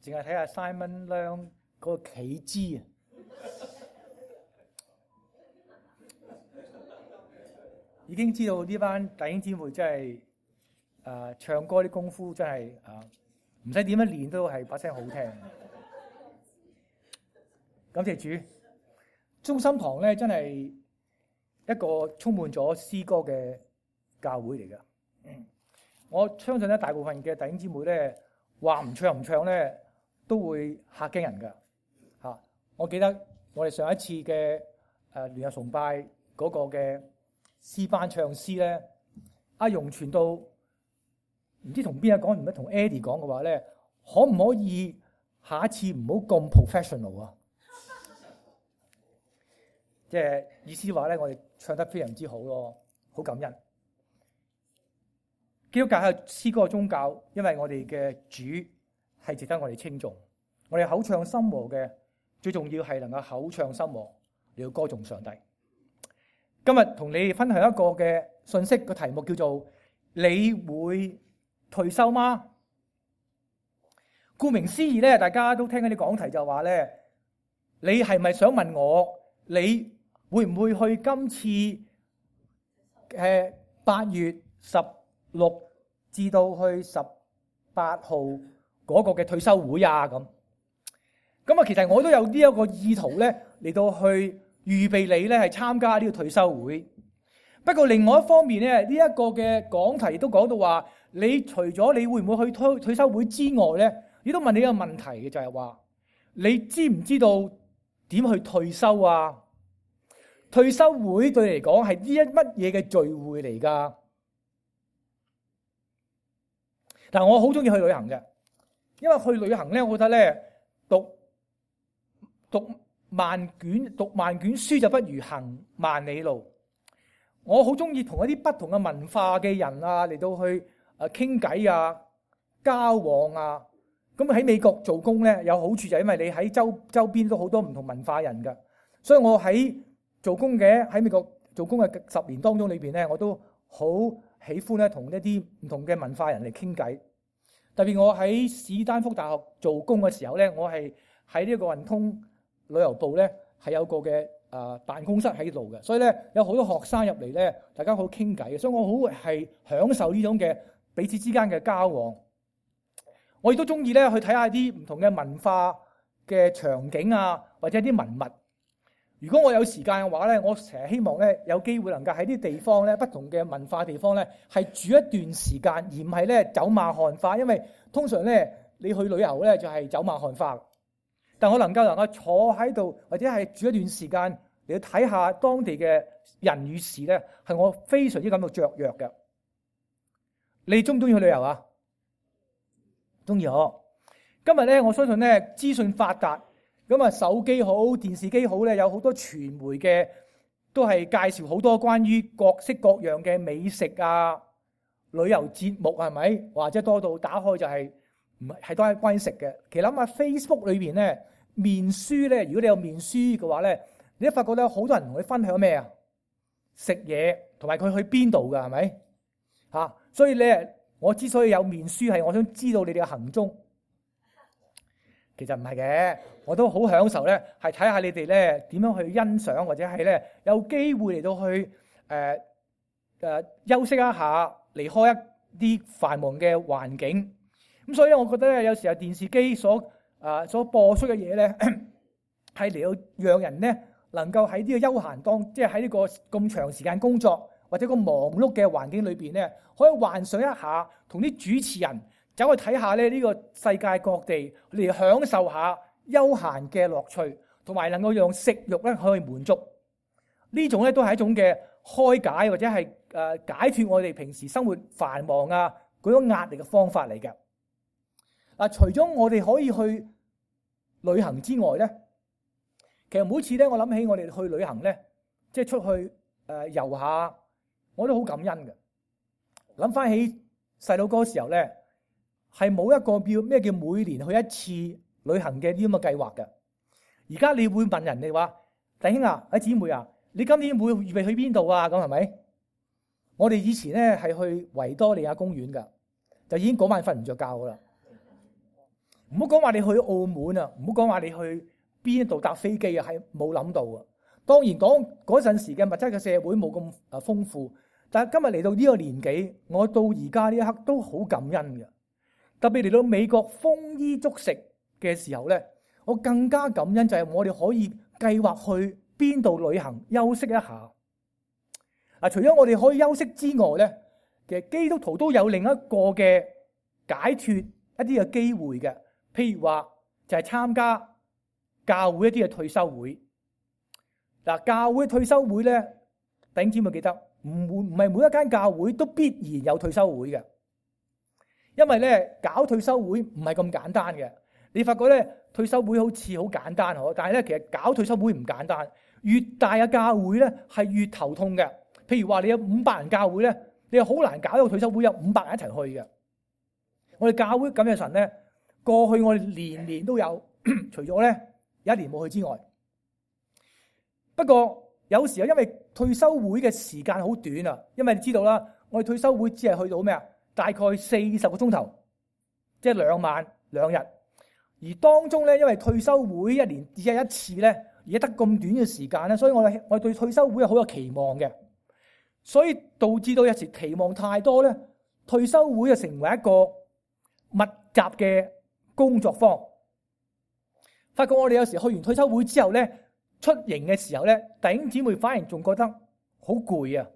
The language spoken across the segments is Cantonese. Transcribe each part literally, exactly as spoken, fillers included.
淨係睇下 Simon Leung 嗰個企姿啊，已經知道呢班弟兄姊妹真係誒、呃、唱歌啲功夫真係啊，唔使點樣練都係把聲好聽。感謝主，中心堂咧真係一個充滿咗詩歌嘅教會嚟㗎。我相信咧，大部分嘅弟兄姊妹咧話唔唱唔唱咧，都會嚇驚人㗎嚇。我記得我哋上一次嘅誒聯合崇拜嗰個嘅詩班唱詩咧，阿容傳到唔知同邊個講，唔知同 Eddie 講嘅話咧，可唔可以下一次唔好咁 professional 啊？即係意思話咧，我哋唱得非常之好咯，好感恩。基督教係詩歌嘅宗教，因為我哋嘅主係值得我哋稱頌。我哋口唱心和嘅，最重要係能夠口唱心和，你要歌頌上帝。今日同你分享一個嘅信息，個題目叫做你會退休嗎？顧名思義咧，大家都聽緊啲講題就話咧，你係咪想問我，你會唔會去今次誒八月十六至到去十八號嗰個嘅退休會啊？咁咁啊，其實我都有呢一個意圖咧，嚟到去預備你咧係參加呢個退休會。不過另外一方面咧，呢一個嘅講題都講到話，你除咗你會唔會去退退休會之外咧，亦都問你一個問題嘅，就係話你知唔知道點去退休啊？退休會對你嚟講係呢一乜嘢嘅聚會嚟㗎？但我好中意去旅行嘅，因為去旅行咧，我覺得咧讀讀萬卷讀萬卷書就不如行萬里路。我好中意同一啲不同嘅文化嘅人啊嚟到去誒傾偈啊、交往啊。咁喺美國做工咧有好處就係因為你喺周周邊都好多唔同文化人㗎，所以我喺做工嘅喺美國做工嘅十年當中裏邊咧，我都好喜歡咧同一啲唔同嘅文化人嚟傾偈。特別我喺史丹福大學做工嘅時候咧，我係喺呢個運通旅遊部咧係有個嘅誒辦公室喺度嘅，所以咧有好多學生入嚟咧，大家好傾偈嘅，所以我好係享受呢種嘅彼此之間嘅交往。我亦都中意咧去睇下啲唔同嘅文化嘅場景啊，或者啲文物。如果我有時間嘅話咧，我成日希望咧有機會能夠喺啲地方咧，不同嘅文化地方咧，係住一段時間，而唔係咧走馬看花。因為通常咧你去旅遊咧就係走馬看花，但我能夠能夠坐喺度或者係住一段時間嚟睇下當地嘅人與事咧，係我非常之感到雀躍嘅。你中唔中意去旅遊啊？中意呵。今日咧，我相信咧資訊發達。咁啊，手機好、電視機好咧，有好多傳媒嘅都係介紹好多關於各式各樣嘅美食啊、旅遊節目係咪？或者多到打開就係唔係係都係關於食嘅。其實諗下 Facebook 裏邊咧，面書咧，如果你有面書嘅話咧，你都發覺咧好多人同你分享咩啊？食嘢同埋佢去邊度㗎係咪？嚇！所以咧，我之所以有面書係我想知道你哋嘅行蹤。其實唔係嘅，我都好享受咧，係睇下你哋咧點樣去欣賞，或者係咧有機會嚟到去誒誒、呃呃、休息一下，離開一啲繁忙嘅環境。咁所以咧，我覺得咧有時候電視機所啊、呃、所播出嘅嘢咧，係嚟到讓人咧能夠喺呢個休閒當，即係喺呢個咁長時間工作或者個忙碌嘅環境裏邊咧，可以幻想一下同啲主持人走去睇下咧呢個世界各地嚟享受下休閒嘅樂趣，同埋能夠讓食慾咧可以滿足。呢種咧都係一種嘅開解，或者係誒解脫我哋平時生活繁忙啊嗰種壓力嘅方法嚟嘅。嗱，除咗我哋可以去旅行之外咧，其實每次咧我諗起我哋去旅行咧，即係出去誒遊下，我都好感恩嘅。諗翻起細佬哥時候咧，係冇一個叫咩叫每年去一次旅行嘅呢咁嘅計劃嘅。而家你會問人哋話，弟兄啊，阿姊妹啊，你今年會預備去邊度啊？咁係咪？我哋以前咧係去維多利亞公園噶，就已經嗰晚瞓唔着覺噶啦。唔好講話你去澳門啊，唔好講話你去邊度搭飛機啊，係冇諗到啊。當然講嗰陣時嘅物質嘅社會冇咁啊豐富，但係今日嚟到呢個年紀，我到而家呢一刻都好感恩嘅。特別嚟到美國豐衣足食嘅時候咧，我更加感恩就係我哋可以計劃去邊度旅行休息一下。啊，除咗我哋可以休息之外咧，其實基督徒都有另一個嘅解脫一啲嘅機會嘅，譬如話就係參加教會一啲嘅退休會。嗱，教會退休會咧，弟兄姊妹記得唔會唔係每一間教會都必然有退休會嘅，因為咧搞退休會唔係咁簡單嘅。你發覺咧退休會好似好簡單嗬，但係咧其實搞退休會唔簡單。越大嘅教會咧係越頭痛嘅。譬如話你有五百人教會咧，你又好難搞一個退休會有五百人一齊去嘅。我哋教會咁嘅神咧，過去我哋年年都有，除咗咧有一年冇去之外。不過有時候因為退休會嘅時間好短啊，因為你知道啦，我哋退休會只係去到咩啊？大概四十個鐘頭，即係兩晚兩日。而當中咧，因為退休會一年只係一次咧，而家得咁短嘅時間咧，所以我哋我哋對退休會係好有期望嘅，所以導致到有時期望太多咧，退休會就成為一個密集嘅工作坊。發覺我哋有時去完退休會之後咧，出營嘅時候咧，弟兄姊妹反而仲覺得好攰啊！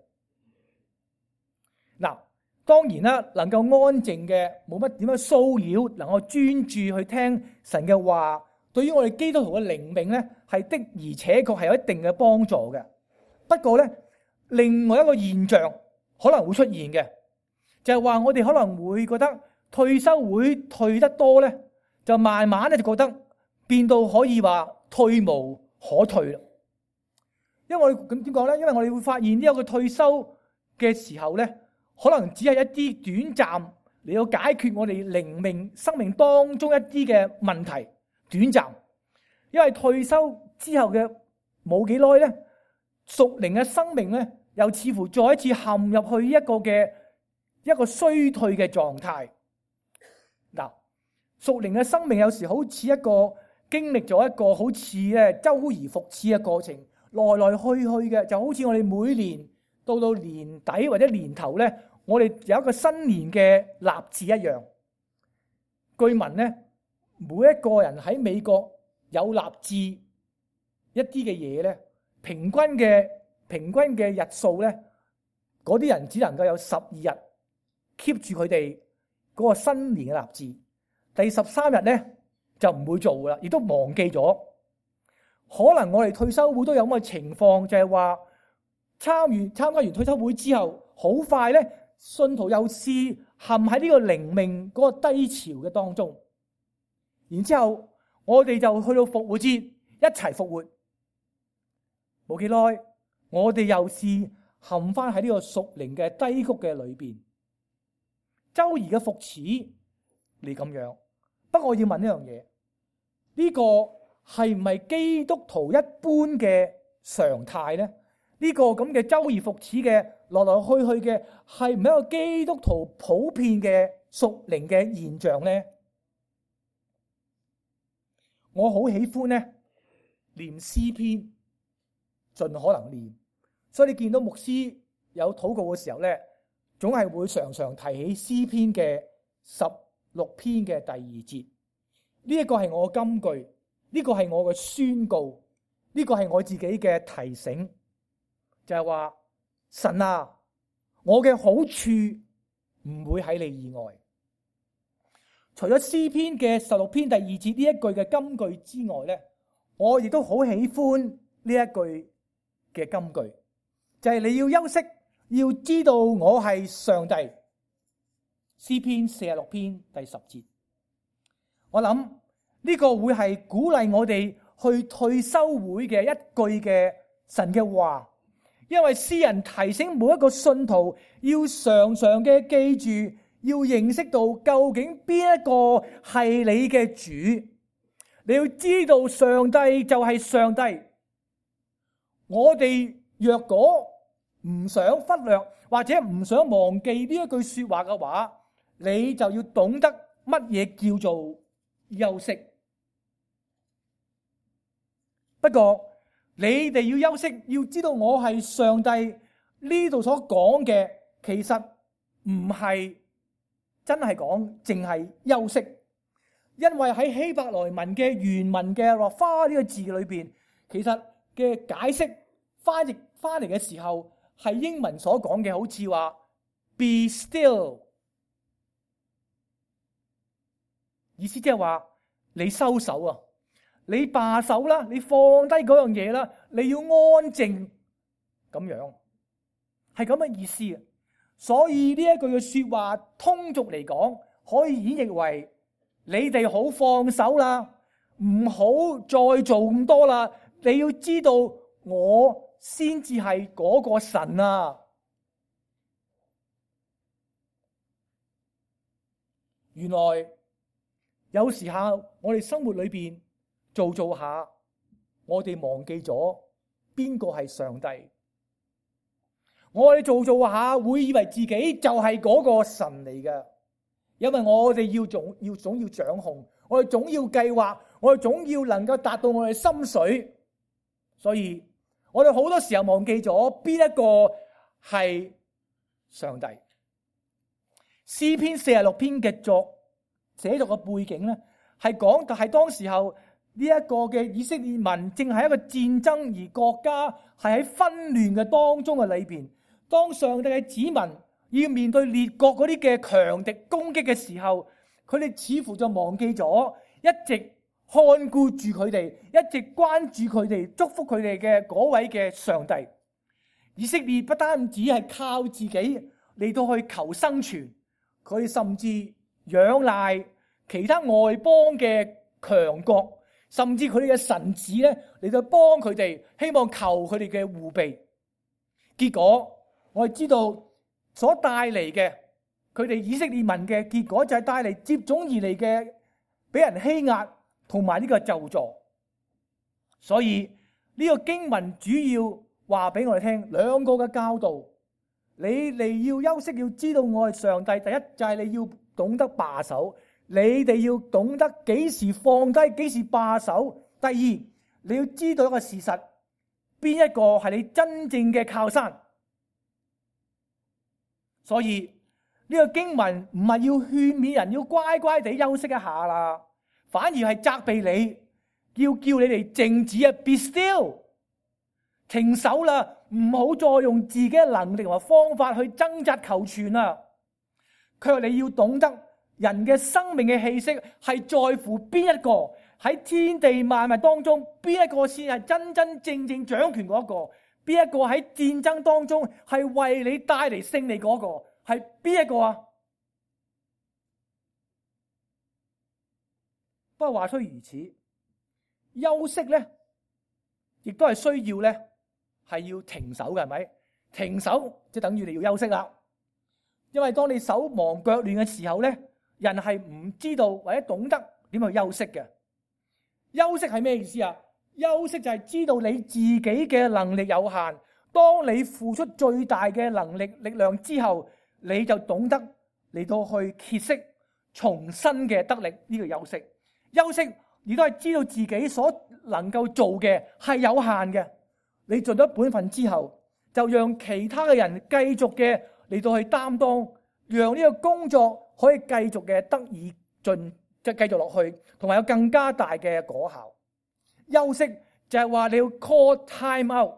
嗱，當然啦，能夠安靜嘅，冇乜點樣騷擾，能夠專注去聽神嘅話，對於我哋基督徒嘅靈命咧，係的而且確係有一定嘅幫助嘅。不過咧，另外一個現象可能會出現嘅，就係話我哋可能會覺得退休會退得多咧，就慢慢咧就覺得變到可以話退無可退啦，因為我哋咁點講咧？因為我哋會發現呢一個退休嘅時候咧，可能只係一啲短暫嚟到解決我哋靈命生命當中一啲嘅問題，短暫。因為退休之後嘅冇幾耐咧，屬靈嘅生命咧，又似乎再一次陷入去一個嘅一個衰退嘅狀態。嗱，屬靈嘅生命有時好似一個。經歷咗一個好似咧周而復始嘅過程，來來去去嘅，就好似我哋每年到到年底或者年頭咧，我哋有一個新年嘅立志一樣。據聞咧，每一個人喺美國有立志一啲嘅嘢咧，平均嘅平均嘅日數咧，嗰啲人只能夠有十二日 keep 住佢哋嗰個新年嘅立志，第十三日咧。就唔會做噶啦，亦都忘記咗。可能我哋退休會都有咁嘅情況，就係話參完參加完退休會之後，好快咧，信徒又試陷喺呢個靈命嗰個低潮嘅當中。然之後我哋就去到復活節一齊復活，冇幾耐，我哋又試陷翻喺呢個屬靈嘅低谷嘅裏邊，周而嘅復始你咁樣。不過我要問一樣嘢，呢個係唔係基督徒一般嘅常態咧？呢個咁嘅周而復始嘅來來去去嘅，係唔係一個基督徒普遍嘅屬靈嘅現象咧？我好喜歡咧念詩篇，盡可能念。所以你見到牧師有禱告嘅時候咧，總係會常常提起詩篇嘅十六篇嘅第二節，呢一個係我嘅金句，呢個係我嘅宣告，呢個係我自己嘅提醒，就係話神啊，我嘅好處唔會喺你以外。除咗詩篇嘅十六篇第二節呢一句嘅金句之外咧，我亦都好喜歡呢一句嘅金句，就係你要休息，要知道我係上帝。詩篇四十六篇第十節，我諗呢個會係鼓勵我哋去退休會嘅一句嘅神嘅話，因為詩人提醒每一個信徒要常常嘅記住，要認識到究竟邊一個係你嘅主，你要知道上帝就係上帝。我哋若果唔想忽略或者唔想忘記呢一句說話嘅話，你就要懂得乜嘢叫做休息。不過你哋要休息，要知道我係上帝呢度所講嘅，其實唔係真係講淨係休息，因為喺希伯來文嘅原文嘅落花呢個字裏邊，其實嘅解釋翻譯翻嚟嘅時候係英文所講嘅，好似話 be still， 意思即係話你收手啊，你罷手啦，你放低嗰樣嘢啦，你要安靜咁樣，係咁嘅意思啊。所以呢一句嘅說話，通俗嚟講，可以演繹為你哋好放手啦，唔好再做咁多啦。你要知道，我先至係嗰個神啊！原來有時候我哋生活裏邊做做下，我哋忘記咗邊個係上帝。我哋做做下會以為自己就係嗰個神嚟嘅，因為我哋要總要總要掌控，我哋總要計劃，我哋總要能夠達到我哋心水，所以我哋好多時候忘記咗邊一個係上帝。詩篇四十六篇嘅作寫作嘅背景咧，係講係當時候呢一個嘅以色列民正係一個戰爭，而國家係喺紛亂嘅當中嘅裏邊。當上帝嘅子民要面對列國嗰啲嘅強敵攻擊嘅時候，佢哋似乎就忘記咗一直看顧住佢哋，一直關注佢哋，祝福佢哋嘅嗰位嘅上帝。以色列不單止係靠自己嚟到去求生存，佢甚至仰賴其他外邦嘅強國，甚至佢哋嘅神子咧嚟到幫佢哋，希望求佢哋嘅護庇。結果我哋知道所帶嚟嘅，佢哋以色列民嘅結果就係帶嚟接踵而嚟嘅俾人欺壓同埋呢個咒詛。所以呢個經文主要話俾我哋聽兩個嘅教導。你哋要休息，要知道我係上帝。第一就係你要懂得罷手，你哋要懂得幾時放低，幾時罷手。第二，你要知道一個事實，邊一個係你真正嘅靠山。所以呢個經文唔係要勸勉人要乖乖地休息一下啦，反而係責備你，要叫你哋靜止啊 ，be still， 停手啦，唔好再用自己嘅能力同埋方法去掙扎求存啦。佢話你要懂得人嘅生命嘅氣息係在乎邊一個，喺天地萬物當中邊一個先係真真正正掌權嗰一個。邊一個喺戰爭當中係為你帶嚟勝利嗰個係邊一個啊？不過話雖如此，休息咧亦都係需要咧，係要停手嘅，係咪？停手即等於你要休息啦。因為當你手忙腳亂嘅時候咧，人係唔知道或者懂得點去休息嘅。休息係咩意思啊？休息就係知道你自己嘅能力有限，當你付出最大嘅能力力量之後，你就懂得嚟到去歇息，重新嘅得力。呢個休息，休息亦都係知道自己所能夠做嘅係有限嘅。你盡咗本分之後，就讓其他嘅人繼續嘅嚟到去擔當，讓呢個工作可以繼續嘅得以進即係繼續落去，同埋有更加大嘅果效。休息就係話你要 call time out，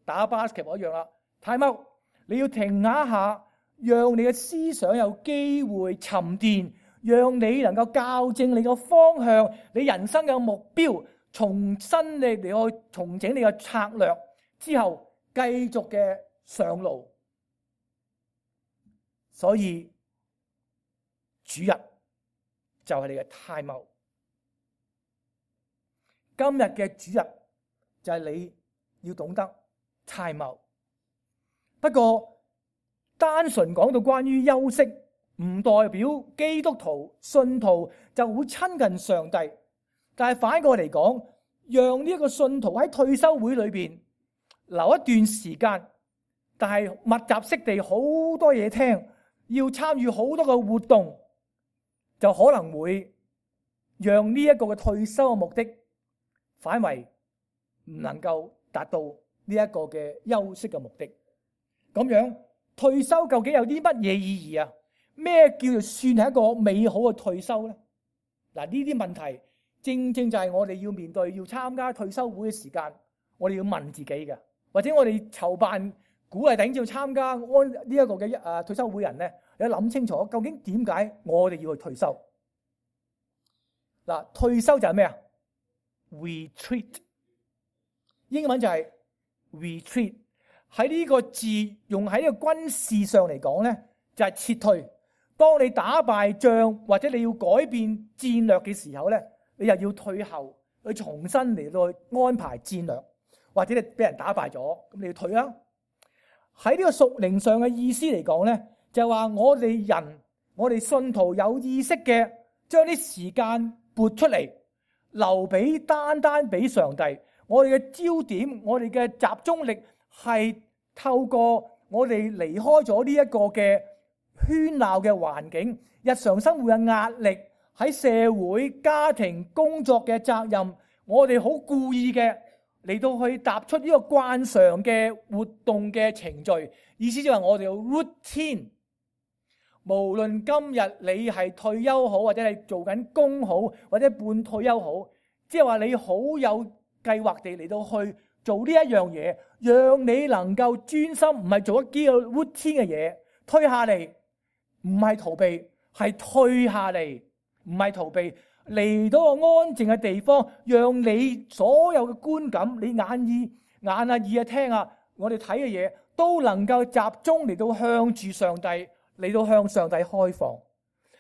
打 basketball 一樣啦。time out， 你要停一下，讓你嘅思想有機會沉澱，讓你能夠校正你個方向，你人生嘅目標，重新你嚟去重整你嘅策略之後，繼續嘅上路。所以主日就係你嘅 time out。今日嘅主日就係你要懂得 time out。不過單純講到關於休息，唔代表基督徒信徒就會親近上帝。但係反過嚟講，讓呢一個信徒喺退休會裏邊留一段時間，但係密集式地好多嘢聽，要參與好多嘅活動，就可能會讓呢一個嘅退休嘅目的反為唔能夠達到呢一個嘅休息嘅目的。咁樣退休究竟有啲乜嘢意義啊？咩叫做算係一個美好嘅退休咧？嗱，呢啲問題正正就係我哋要面對要參加退休會嘅時間，我哋要問自己嘅，或者我哋籌辦鼓勵弟兄姊妹參加安呢一個嘅誒退休會人咧，你諗清楚究竟點解我哋要去退休？嗱，退休就係咩啊 ？retreat， 英文就係 retreat。喺呢個字用喺呢個軍事上嚟講咧，就係撤退。當你打敗仗或者你要改變戰略嘅時候咧，你又要退後去重新嚟到去安排戰略，或者你俾人打敗咗，咁你要退啦。喺呢個屬靈上嘅意思嚟講咧，就係話我哋人，我哋信徒有意識嘅將啲時間撥出嚟，留俾單單俾上帝。我哋嘅焦點，我哋嘅集中力係透過我哋離開咗呢一個嘅喧鬧嘅環境，日常生活嘅壓力，喺社會、家庭、工作嘅責任，我哋好故意嘅嚟到去踏出呢個慣常嘅活動嘅程序，意思就係我哋有 routine。無論今日你係退休好，或者係做緊工好，或者半退休好，即係話你好有計劃地嚟到去做呢一樣嘢，讓你能夠專心，唔係做一啲嘅 routine 嘅嘢，退下嚟，唔係逃避，係退下嚟，唔係逃避，嚟到個安靜嘅地方，讓你所有嘅觀感，你眼耳眼啊耳啊聽啊，我哋睇嘅嘢都能夠集中嚟到向住上帝，嚟到向上帝開放。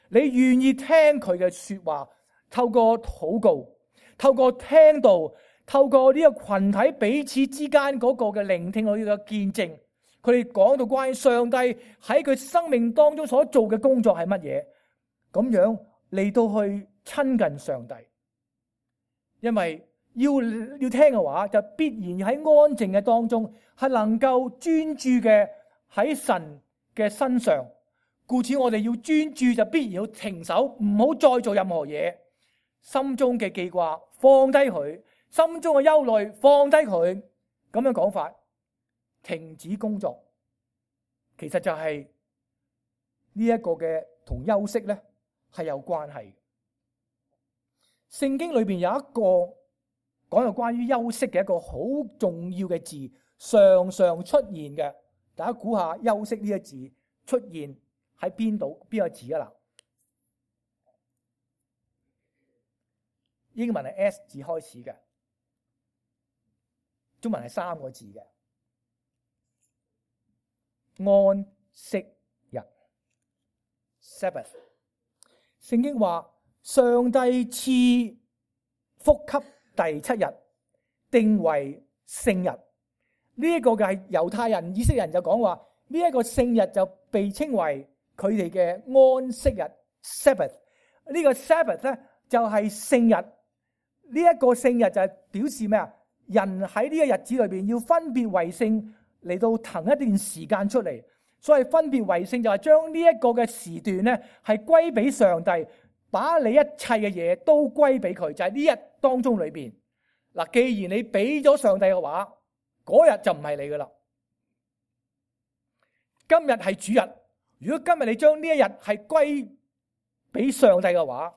你願意聽佢嘅說話，透過禱告，透過聽道，透過呢個群體彼此之間嗰個嘅聆聽，我哋嘅見證，佢哋講到關於上帝喺佢生命當中所做嘅工作係乜嘢，咁樣嚟到去親近上帝。因為要要聽嘅話，就必然喺安靜嘅當中係能夠專注嘅喺神嘅身上。故此我哋要專注，就必然要停手，唔好再做任何嘢。心中嘅記掛放低佢，心中嘅憂慮放低佢，咁樣講法，停止工作，其實就係呢一個嘅同休息咧係有關係。聖經裏邊有一個講到關於休息嘅一個好重要嘅字，常常出現嘅，大家估下休息呢個字出現喺邊度？邊個字啊？嗱，英文係 S 字開始嘅，中文係三個字嘅，安息日 Sabbath。聖經話上帝賜福給第七日，定為聖日。呢一個嘅係猶太人、以色列人就講話呢一個聖日就被稱為佢哋嘅安息日 Sabbath。呢個 Sabbath 咧就係聖日。呢一個聖日就係表示咩啊？人喺呢個日子裏邊要分別為聖，嚟到騰一段時間出嚟。所以分別為聖就係將呢一個嘅時段咧係歸俾上帝，把你一切嘅嘢都歸俾佢。就係呢日當中裏邊嗱，既然你俾咗上帝嘅話，嗰日就唔係你噶啦。今日係主日，如果今日你將呢一日係歸俾上帝嘅話，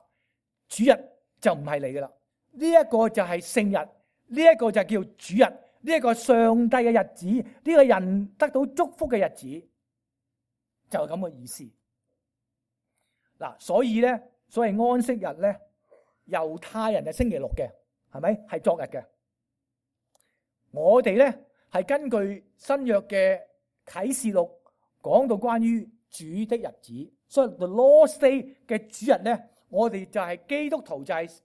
主日就唔係你噶啦。呢一個就係聖日，呢一個就叫主日，呢一個上帝嘅日子，呢個人得到祝福嘅日子，就係咁嘅意思。嗱，所以咧，所謂安息日咧，猶太人係星期六嘅，係咪？係昨日嘅。我哋咧係根據新約嘅啟示錄講到關於主的日子，所以 The Lord's Day 嘅主日咧，我哋就係基督徒就係、是。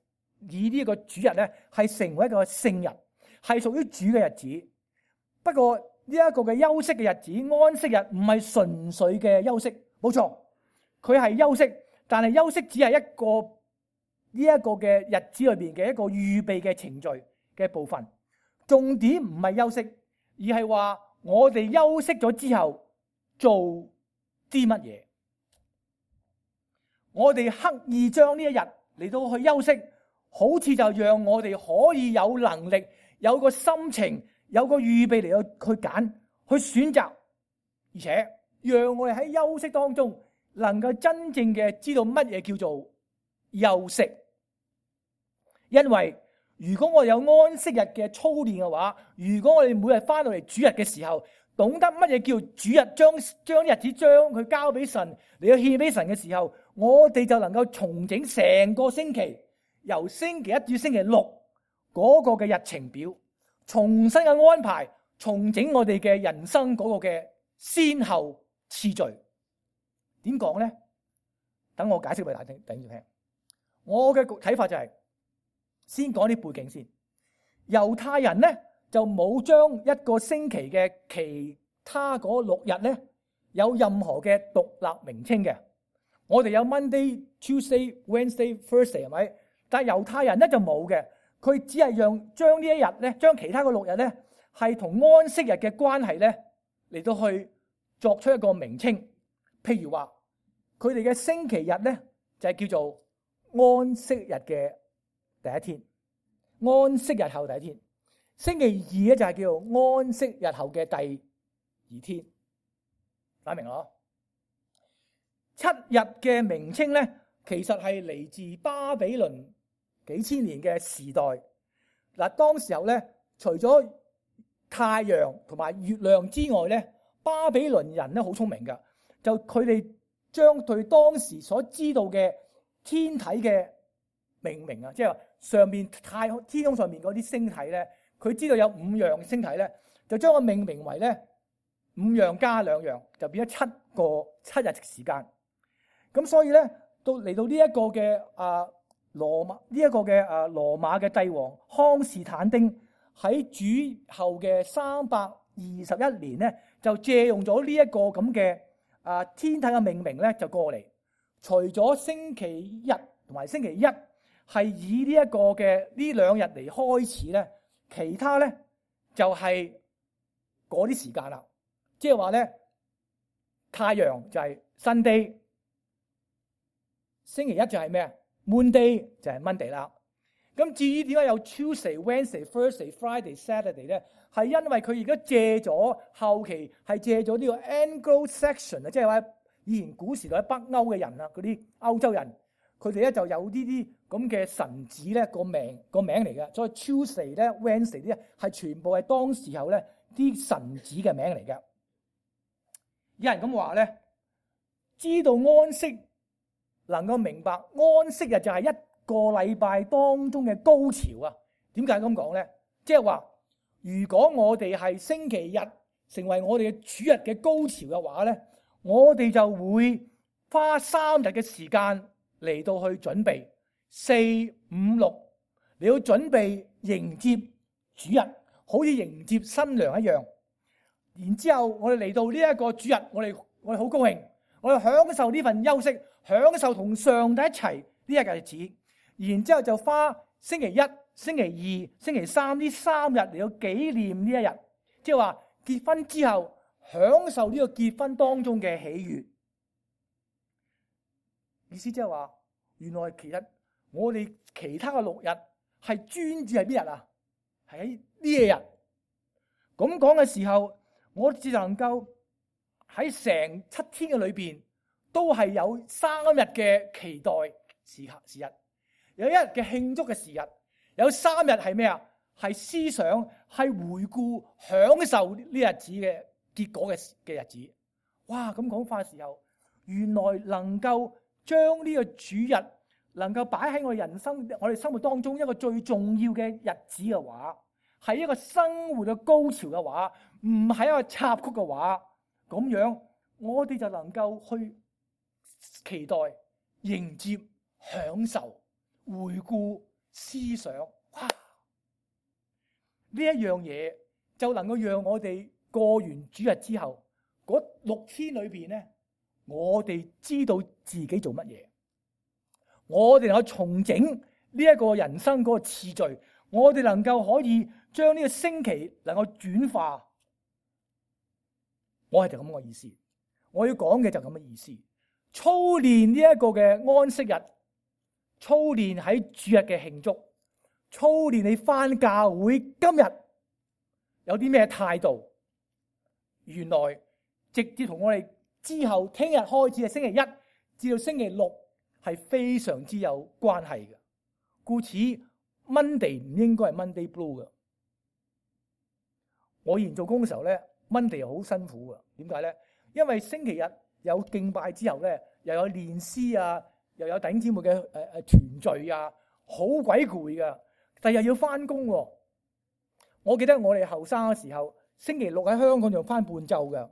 以呢個主日咧，係成為一個聖日，係屬於主嘅日子。不過呢一個嘅休息嘅日子，安息日唔係純粹嘅休息，冇錯，佢係休息，但係休息只係一個呢一個嘅日子裏邊嘅一個預備嘅程序嘅部分。重點唔係休息，而係話我哋休息咗之後做啲乜嘢。我哋刻意將呢一日嚟到去休息，好似就讓我哋可以有能力、有個心情、有個預備嚟到去揀、去選擇，而且讓我哋喺休息當中能夠真正嘅知道乜嘢叫做休息。因為如果我哋有安息日嘅操練嘅話，如果我哋每日翻到嚟主日嘅時候，懂得乜嘢叫主日，將將日子將佢交俾神嚟到獻俾神嘅時候，我哋就能夠重整成個星期，由星期一至星期六嗰個嘅日程表，重新嘅安排，重整我哋嘅人生嗰個嘅先後次序。點講咧？等我解釋俾大家聽。我嘅睇法就係、是、先講啲背景先。猶太人咧就冇將一個星期嘅其他嗰六日咧有任何嘅獨立名稱嘅。我哋有 Monday、Tuesday、Wednesday、Thursday 係咪？但係猶太人咧就冇嘅，佢只係讓將呢一日咧，將其他嘅六日咧係同安息日嘅關係咧嚟到去作出一個名稱。譬如話，佢哋嘅星期日咧就係叫做安息日嘅第一天，安息日後第一天。星期二咧就係叫做安息日後嘅第二天。打明咯？七日嘅名稱咧，其實係嚟自巴比倫幾千年嘅時代。嗱，當時候咧，除咗太陽同埋月亮之外咧，巴比倫人咧好聰明噶，就佢哋將對當時所知道嘅天體嘅命名啊，即係上面太天空上面嗰啲星體咧，佢知道有五樣星體咧，就將佢命名為咧五樣加兩樣，就變咗七個七日時間。咁所以咧，到嚟到呢一個嘅啊羅馬呢一個嘅啊羅馬嘅帝王康士坦丁喺主後嘅三百二十一年咧，就借用咗呢一個咁嘅啊天體嘅命名咧，就過嚟。除咗星期日同埋星期一係以呢一個嘅呢兩日嚟開始咧，其他咧就係嗰啲時間啦。即係話咧，太陽就係 Sunday。星期一就係咩啊 ？Monday 就係 Monday 啦。咁至於點解有 Tuesday、Wednesday、Thursday、Friday、Saturday 咧？係因為佢而家借咗後期係借咗呢個 Anglo-Saxon 啊，即係話以前古時代北歐嘅人啊，嗰啲歐洲人，佢哋咧就有呢啲咁嘅神子咧個名個名嚟嘅。所以 Tuesday 咧、Wednesday 咧係全部係當時候咧啲神子嘅名嚟嘅。有人咁話咧，知道安息。能夠明白安息日就係一個禮拜當中嘅高潮啊！點解咁講咧？即係話，如果我哋係星期日成為我哋嘅主日嘅高潮嘅話咧，我哋就會花三日嘅時間嚟到去準備四五六，你要準備迎接主日，好似迎接新娘一樣。然之後我哋嚟到呢一個主日，我哋我哋好高興，我哋享受呢份休息。享受同上帝一齊呢一日日子，然之後就花星期一、星期二、星期三呢三日嚟到紀念呢一日，即係話結婚之後享受呢個結婚當中嘅喜悅。意思即係話，原來其實我哋其他嘅六日係專注係邊日啊？係喺呢一日。咁講嘅時候，我只能夠喺成七天嘅裏邊。都係有三日嘅期待時刻時日，有一日嘅慶祝嘅時日，有三日係咩啊？係思想，係回顧，享受呢日子嘅結果嘅嘅日子。哇！咁講法嘅時候，原來能夠將呢個主日能夠擺喺我哋人生、我哋生活當中一個最重要嘅日子嘅話，係一個生活嘅高潮嘅話，唔係一個插曲嘅話，咁樣我哋就能夠去。期待、迎接、享受、回顧、思想，哇！呢一樣嘢就能夠讓我哋過完主日之後，嗰六天裏邊咧，我哋知道自己做乜嘢，我哋能夠重整呢一個人生嗰個次序，我哋能夠可以將呢個星期能夠轉化。我係就咁嘅意思，我要講嘅就咁嘅意思。操練呢一個嘅安息日，操練喺主日嘅慶祝，操練你返教會今日有啲咩態度？原來直接同我哋之後聽日開始嘅星期一至到星期六係非常之有關係嘅。故此 Monday 唔應該係 Monday Blue 嘅。我以前做工嘅時候咧 ，Monday 好辛苦嘅。點解咧？因為星期日有敬拜之後咧，又有練詩啊，又有弟兄姊妹嘅誒誒團聚啊，好鬼攰噶。第日要翻工喎。我記得我哋後生嘅時候，星期六喺香港就翻半晝嘅，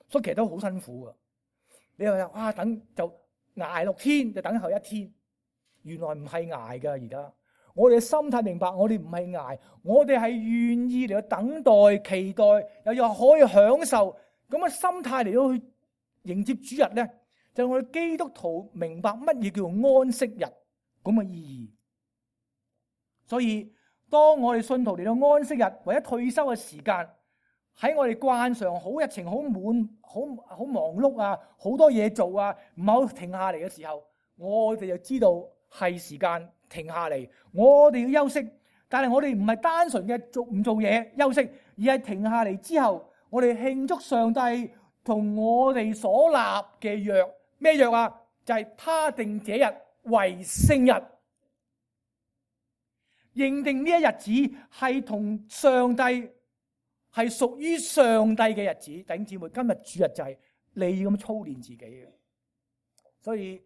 所以其實都好辛苦噶。你話哇，等就捱六天，就等候一天。原來唔係捱噶，而家我哋嘅心態明白，我哋唔係捱，我哋係願意嚟到等待、期待，又又可以享受咁嘅心態嚟到去迎接主日咧，就係我哋基督徒明白乜嘢叫做安息日咁嘅意義。所以當我哋信徒嚟到安息日或者退休嘅時間，喺我哋慣常好日程好滿、好好忙碌啊，好多嘢做啊，唔好停下嚟嘅時候，我哋就知道係時間停下嚟，我哋要休息。但係我哋唔係單純嘅做唔做嘢休息，而係停下嚟之後，我哋慶祝上帝同我哋所立嘅約。咩約啊？就係他定這日為聖日，認定呢一日子係同上帝係屬於上帝嘅日子。弟兄姊妹，今日主日就係你要咁操練自己嘅。所以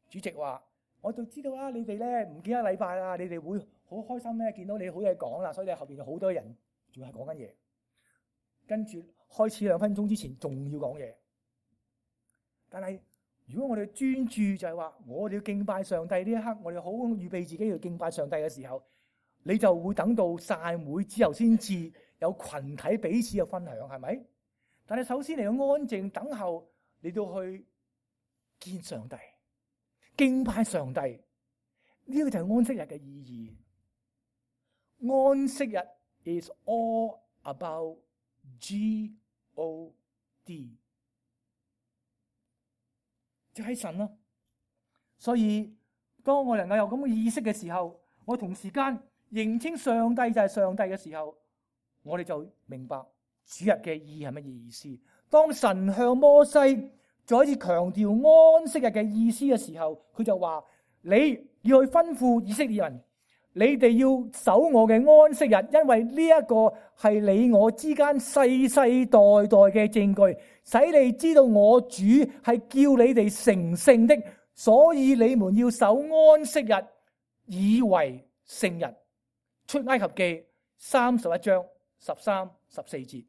主席話：我就知道啦，你哋咧唔見一個禮拜啦，你哋會好開心咧，見到你好嘢講啦，所以你後邊有好多人仲係講緊嘢。跟住開始兩分鐘之前仲要講嘢，但係如果我哋專注就係話，我哋要敬拜上帝呢一刻，我哋好預備自己要敬拜上帝嘅時候，你就會等到散會之後先至有群體彼此嘅分享，係咪？但係首先你要安靜等候，你到去見上帝、敬拜上帝，呢個就係安息日嘅意義。安息日 is all about G O D， 就係神咯。所以當我能夠有咁嘅意識嘅時候，我同時間認清上帝就係上帝嘅時候，我哋就明白主日嘅意義係乜嘢意思。當神向摩西再一次強調安息日嘅意思嘅時候，佢就話：你要去吩咐以色列人，你哋要守我嘅安息日，因為呢一個係你我之間世世代代嘅證據，使你知道我主係叫你哋成聖的，所以你們要守安息日，以為聖日。出埃及記三十一章十三、十四節。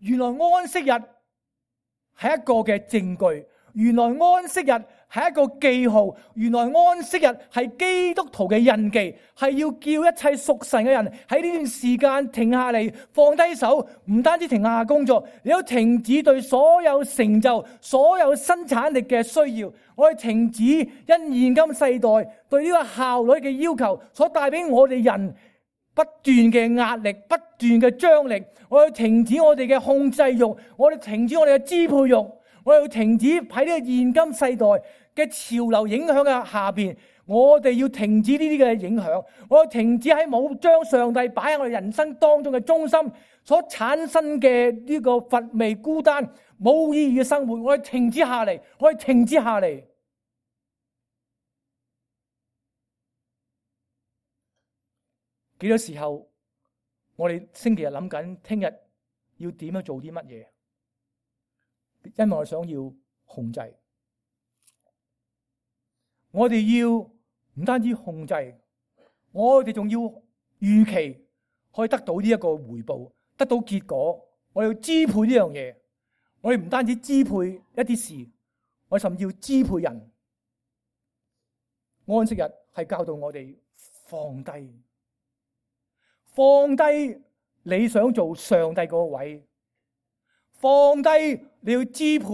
原來安息日係一個嘅證據，原來安息日係一個記號，原來安息日係基督徒嘅印記，係要叫一切屬神嘅人喺呢段時間停下嚟，放低手，唔單止停下工作，你都停止對所有成就、所有生產力嘅需要。我哋停止因現今世代對呢個效率嘅要求所帶俾我哋人不斷嘅壓力、不斷嘅張力。我要停止我哋嘅控制欲，我哋停止我哋嘅支配欲，我要停止喺呢個現今世代嘅潮流影響嘅下邊，我哋要停止呢啲嘅影響，我要停止喺冇將上帝擺喺我哋人生當中嘅中心所產生嘅呢個乏味、孤單、冇意義嘅生活，我要停止下嚟，我要停止下嚟。幾多時候我哋星期日諗緊聽日要點樣做啲乜嘢？因為我想要控制，我哋要唔單止控制，我哋仲要預期可以得到呢一個回報，得到結果。我要支配呢樣嘢，我哋唔單止支配一啲事，我甚至要支配人。安息日係教導我哋放低。放低你想做上帝嗰個位，放低你要支配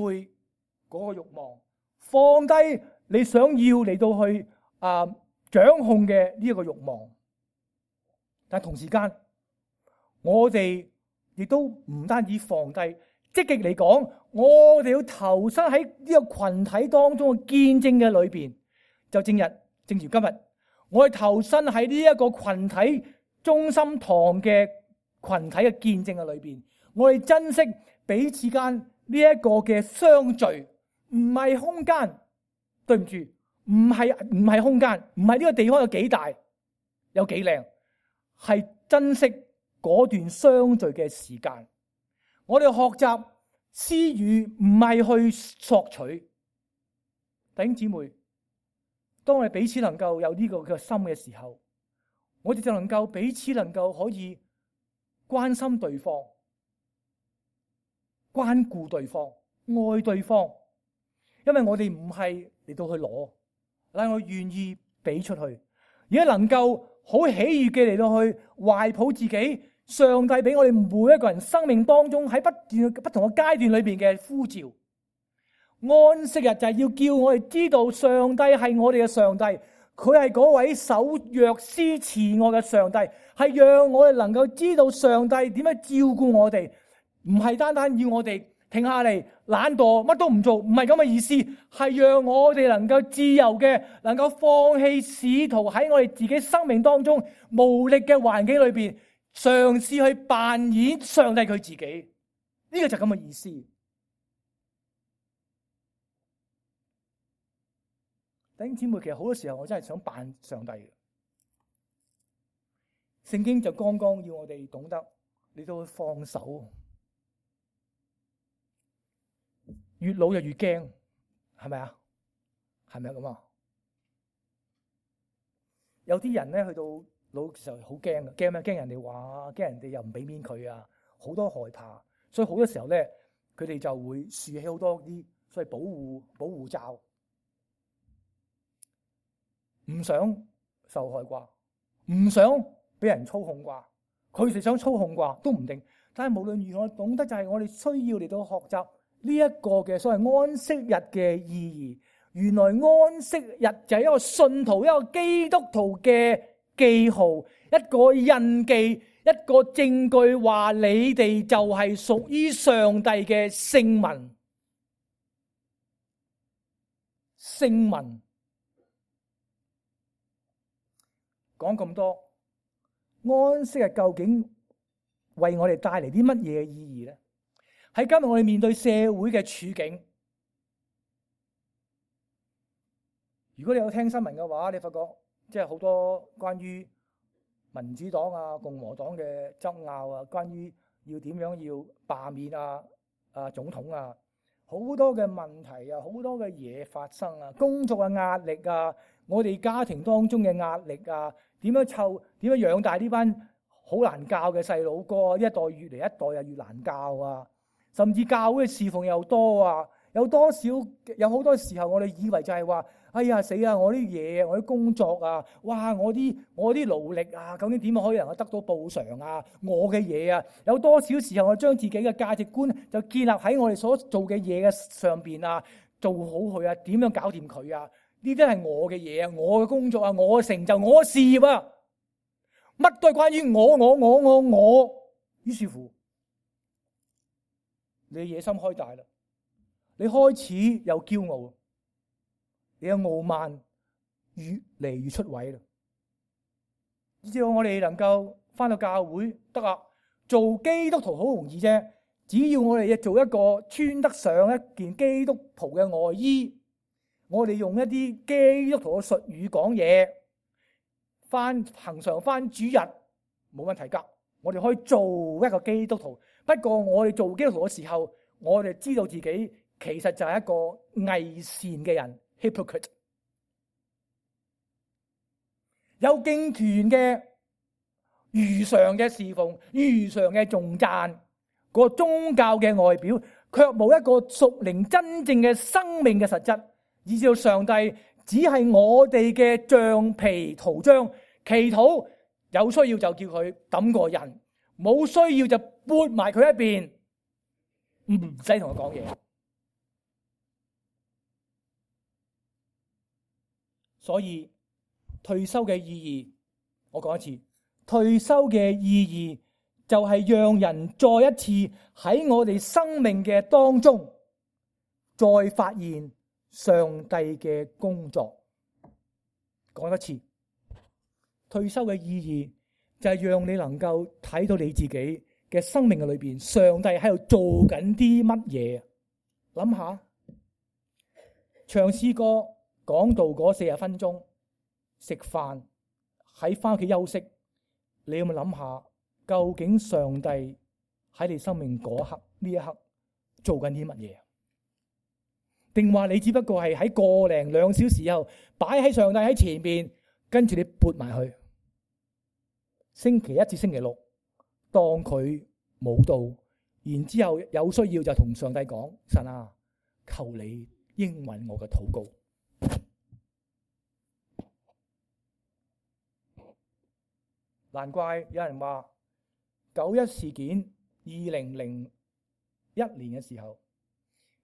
嗰個慾望，放低你想要嚟到去啊、呃、掌控嘅呢一個慾望。但同時間，我哋亦都唔單止放低，積極嚟講，我哋要投身喺呢個群體當中嘅見證嘅裏邊，就正日正如今日，我哋投身喺呢一個群體中心堂嘅群體嘅見證嘅裏邊，我哋珍惜彼此間呢一個嘅相聚，唔係空間，對唔住，唔係唔係空間，唔係呢個地方有幾大，有幾靚，係珍惜嗰段相聚嘅時間。我哋學習施予，唔係去索取。弟兄姊妹，當我哋彼此能夠有呢個嘅心嘅時候，我哋就能夠彼此能夠可以關心對方、關顧對方、愛對方，因為我哋唔係嚟到去攞，但係我願意俾出去，而家能夠好喜悅嘅嚟到去懷抱自己，上帝俾我哋每一個人生命當中喺不斷不同嘅階段裏邊嘅呼召。安息日就係要叫我哋知道上帝係我哋嘅上帝，佢係嗰位守約施慈愛嘅上帝，係讓我哋能夠知道上帝點樣照顧我哋，唔係單單要我哋停下嚟懶惰乜都唔做，唔係咁嘅意思，係讓我哋能夠自由嘅，能夠放棄試圖喺我哋自己生命當中無力嘅環境裏邊嘗試去扮演上帝佢自己，呢個就係咁嘅意思。弟兄姊妹，其實好多時候我真係想扮上帝嘅。聖經就剛剛要我哋懂得，你都會放手。越老就越驚，係咪啊？係咪咁啊？有啲人咧去到老嘅時候好驚嘅，驚咩？驚人哋話，驚人哋又唔俾面佢啊，好多害怕，所以好多時候咧，佢哋就會豎起好多啲所謂保護保護罩。唔想受害啩，唔想俾人操控啩，佢哋想操控啩都唔定。但係無論如何，懂得就係我哋需要嚟到學習呢一個嘅所謂安息日嘅意義。原來安息日就係一個信徒、一個基督徒嘅記號，一個印記，一個證據，話你哋就係屬於上帝嘅聖民。聖民。講咁多，安息日究竟為我哋帶嚟啲乜嘢意義咧？喺今日我哋面對社會嘅處境，如果你有聽新聞嘅話，你發覺即係好多關於民主黨啊、共和黨嘅爭拗啊，關於要點樣要罷免啊、啊總統啊，好多嘅問題啊，好多嘅嘢發生啊，工作嘅壓力啊，我哋家庭當中嘅壓力啊。點樣湊？點樣養大呢班好難教嘅細佬哥？一代越嚟一代又越難教啊！甚至教會嘅侍奉又多啊！有多少有好多時候，我哋以為就係話：哎呀死啊！我啲嘢，我啲工作啊，哇！我啲我啲勞力啊，究竟點樣可以能夠得到報償啊？我嘅嘢啊，有多少時候我將自己嘅價值觀就建立喺我哋所做嘅嘢嘅上邊啊？做好佢啊？點樣搞掂佢啊？呢啲係我嘅嘢啊，我嘅工作啊，我嘅成就，我嘅事業啊，乜都係關於我，我，我，我，我。於是乎，你野心開大啦，你開始有驕傲，你嘅傲慢越嚟越出位啦。只要我哋能夠翻到教會得啦，做基督徒好容易啫，只要我哋做一個穿得上一件基督徒嘅外衣。我哋用一啲基督徒嘅術語講嘢，翻恆常翻主日冇問題噶。我哋可以做一個基督徒，不過我哋做基督徒嘅時候，我哋知道自己其實就係一個偽善嘅人 hypocrite。有敬虔嘅如常嘅侍奉，如常嘅頌讚，個宗教嘅外表，卻冇一個屬靈真正嘅生命嘅實質。以至到上帝只係我哋嘅橡皮圖章，祈禱有需要就叫佢抌個人，冇需要就撥埋佢一邊，唔使同佢講嘢。所以退休嘅意義，我講一次，退休嘅意義就係讓人再一次喺我哋生命嘅當中再發現上帝嘅工作，講一次，退休嘅意義就係讓你能夠睇到你自己嘅生命嘅裏邊，上帝喺度做緊啲乜嘢？諗下，唱詩歌講道嗰四十分鐘，食飯喺翻屋企休息，你有冇諗下，究竟上帝喺你生命嗰刻呢一刻做緊啲乜嘢？定話你只不過係喺個零兩小時後擺喺上帝喺前邊，跟住你撥埋去，星期一至星期六當佢冇到，然之後有需要就同上帝講：神啊，求你應允我嘅禱告。難怪有人話九一事件二零零一年嘅時候，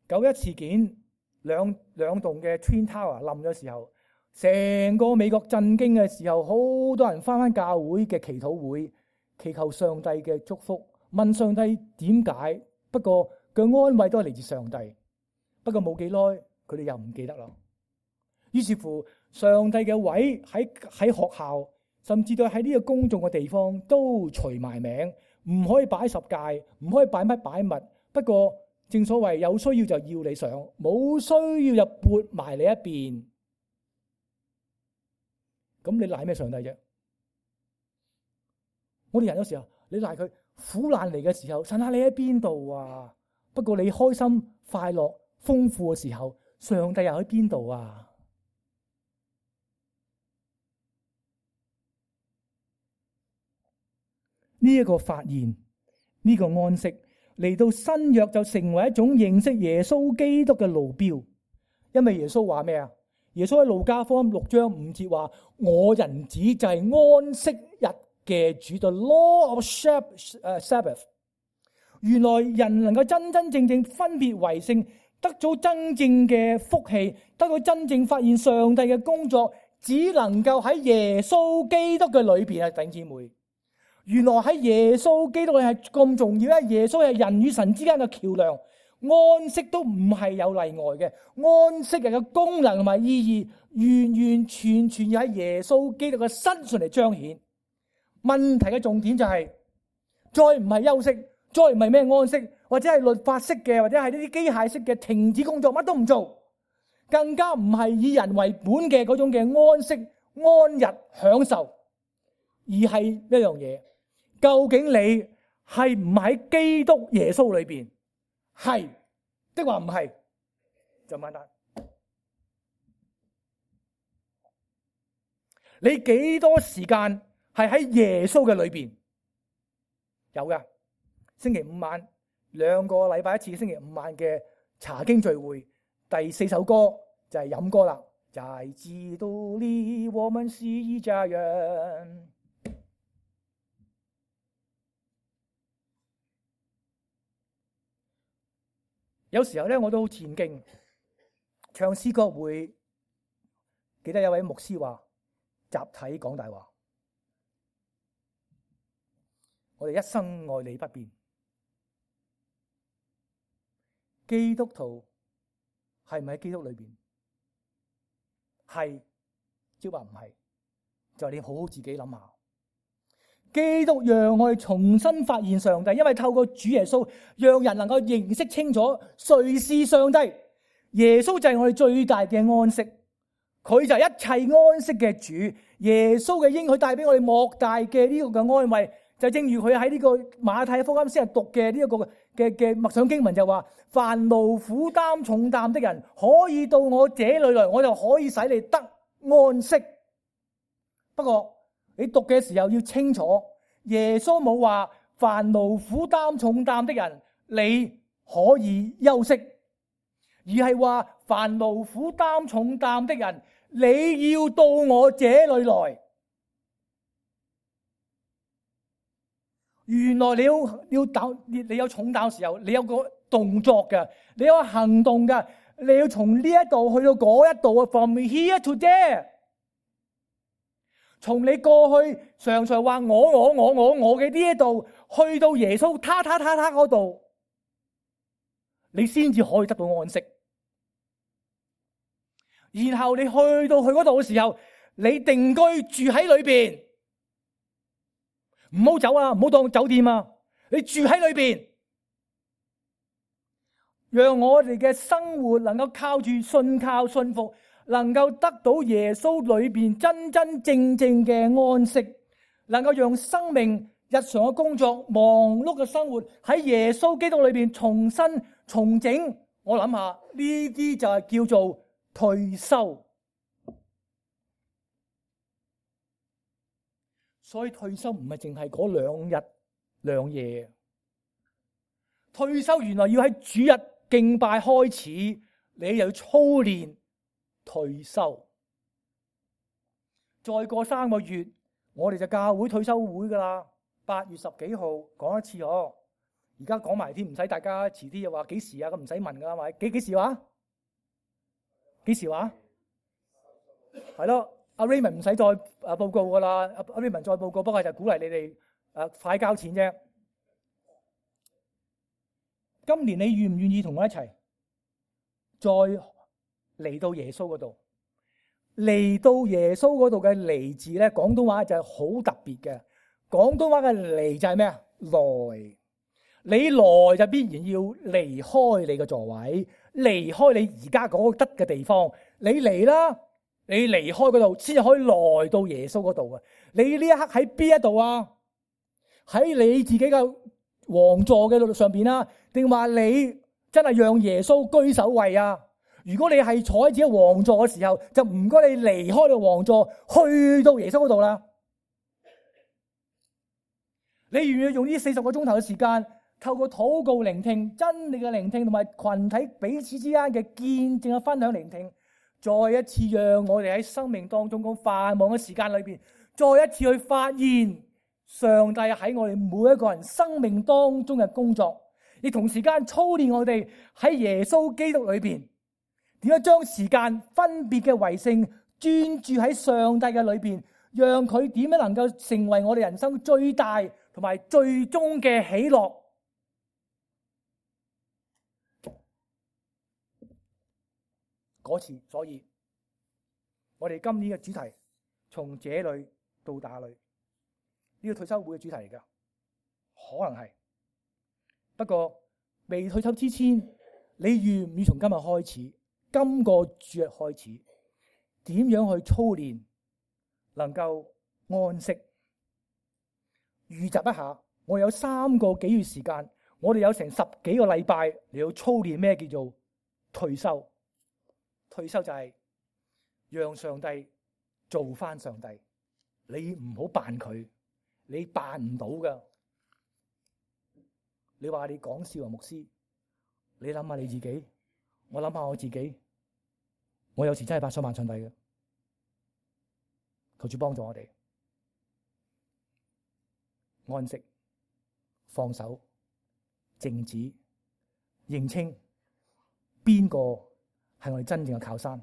九一事件兩兩棟嘅 Twin Tower 冧咗時候，成個美國震驚嘅時候，好多人翻返教會嘅祈禱會，祈求上帝嘅祝福，問上帝點解。不過佢安慰都係嚟自上帝。不過冇幾耐，佢哋又唔記得啦。於是乎，上帝嘅位喺喺學校，甚至到喺呢個公眾嘅地方都除埋名，唔可以擺十誡，唔可以擺乜擺物。不過正所謂有需要就要你上，冇需要就撥埋你一邊。咁你賴咩上帝啫？我哋人有時候你賴佢苦難嚟嘅時候，神啊，你喺邊度啊？不過你開心快樂豐富嘅時候，上帝又喺邊度啊？呢一個發現，呢個安息嚟到新約就成為一種認識耶穌基督嘅路標。因為耶穌話咩啊？耶穌喺路加福音六章五節話：我人子就係安息日嘅主，就 Lord of Sabbath。原來人能夠真真正正分別為聖，得到真正嘅福氣，得到真正發現上帝嘅工作，只能夠喺耶穌基督嘅裏邊啊！弟兄姊妹，原來喺耶穌基督係咁重要，因為耶穌係人與神之間嘅橋樑。安息都唔係有例外嘅，安息日嘅功能同埋意義，完完全全要喺耶穌基督嘅身上嚟彰顯。問題嘅重點就係、是，再唔係休息，再唔係咩安息，或者係律法式嘅，或者係呢啲機械式嘅停止工作，乜都唔做，更加唔係以人為本嘅嗰種嘅安息、安逸、享受，而係一樣嘢。究竟你係唔喺基督耶穌裏邊？係的話唔係，就簡單。你幾多時間係喺耶穌嘅裏邊？有噶，星期五晚兩個禮拜一次，星期五晚嘅查經聚會，第四首歌就係飲歌啦。在基督裏，我們是一家人。有時候咧，我都好戰驚，唱詩歌會記得有位牧師話集體講大話，我哋一生愛你不變。基督徒係唔喺基督裏邊？係，即係話唔係，就你好好自己諗下。基督讓我哋重新發現上帝，因為透過主耶穌，讓人能夠認識清楚誰是上帝。耶穌就係我哋最大嘅安息，佢就係一切安息嘅主。耶穌嘅應許帶俾我哋莫大嘅呢個嘅安慰，就正如佢喺呢個馬太福音先係讀嘅呢一個嘅嘅默想經文就話：凡勞苦擔重擔的人，可以到我這裏來，我就可以使你得安息。不過，你讀嘅時候要清楚，耶穌冇話凡勞苦擔重擔的人你可以休息，而係話凡勞苦擔重擔的人你要到我這裏來。原來你要要擔你你有重擔嘅時候，你有個動作嘅，你有行動嘅，你要從呢一度去到嗰一度啊 ，from here to there。從你過去常常話我我我我我嘅呢一度，去到耶穌他他他他嗰度，你先至可以得到安息。然後你去到佢嗰度嘅時候，你定居住喺裏邊，唔好走啊，唔好當酒店啊，你住喺裏邊，讓我哋嘅生活能夠靠住信靠信服，能夠得到耶穌裏邊真真正正嘅安息，能夠讓生命日常嘅工作、忙碌嘅生活喺耶穌基督裏邊重新重整。我諗下呢啲就係叫做退休。所以退休唔係淨係嗰兩日兩夜，退休原來要喺主日敬拜開始，你又要操練退休。再過三個月，我哋就教會退休會噶啦，八月十幾號講一次哦。而家講埋添，唔使大家遲啲又話幾時啊？咁唔使問噶啦，咪幾幾時話？幾時話？係咯，阿 Raymond 唔使再誒報告噶啦，阿 Raymond 再報告，不過就鼓勵你哋誒快交錢啫。今年你願唔願意同我一齊再嚟到耶穌嗰度？嚟到耶穌嗰度嘅嚟字咧，廣東話就係好特別嘅。廣東話嘅嚟就係咩啊？來。你來就必然要離開你嘅座位，離開你而家嗰個得嘅地方。你嚟啦，你離開嗰度先至可以來到耶穌嗰度啊！你呢一刻喺邊一度啊？喺你自己嘅王座嘅路上邊啦，定話你真係讓耶穌居首位啊？如果你係坐喺自己王座嘅時候，就唔該你離開你王座，去到耶穌嗰度啦。你願唔願意用呢四十個鐘頭嘅時間？透過禱告聆聽真理嘅聆聽，同埋群體彼此之間嘅見證嘅分享聆聽，再一次讓我哋喺生命當中咁繁忙嘅時間裏邊，再一次去發現上帝喺我哋每一個人生命當中嘅工作，亦同時間操練我哋喺耶穌基督裏邊點樣將時間分別嘅為聖，專注喺上帝嘅裏邊，讓佢點樣能夠成為我哋人生最大同埋最終嘅喜樂。嗰次，所以我哋今年嘅主題從這裏到那裏，呢個退休會嘅主題嚟噶，可能係。不過未退休之前，你願唔願從今日開始，今個主日開始，點樣去操練，能夠安息？預習一下，我哋有三個幾月時間，我哋有成十幾個禮拜嚟到操練咩叫做退休。退休就係讓上帝做翻上帝，你唔好扮佢，你扮唔到噶。你話你講笑啊，牧師，你諗下你自己，我諗下我自己，我有時真係扮想扮上帝嘅，求主幫助我哋安息、放手、靜止、認清邊個係我哋真正嘅靠山。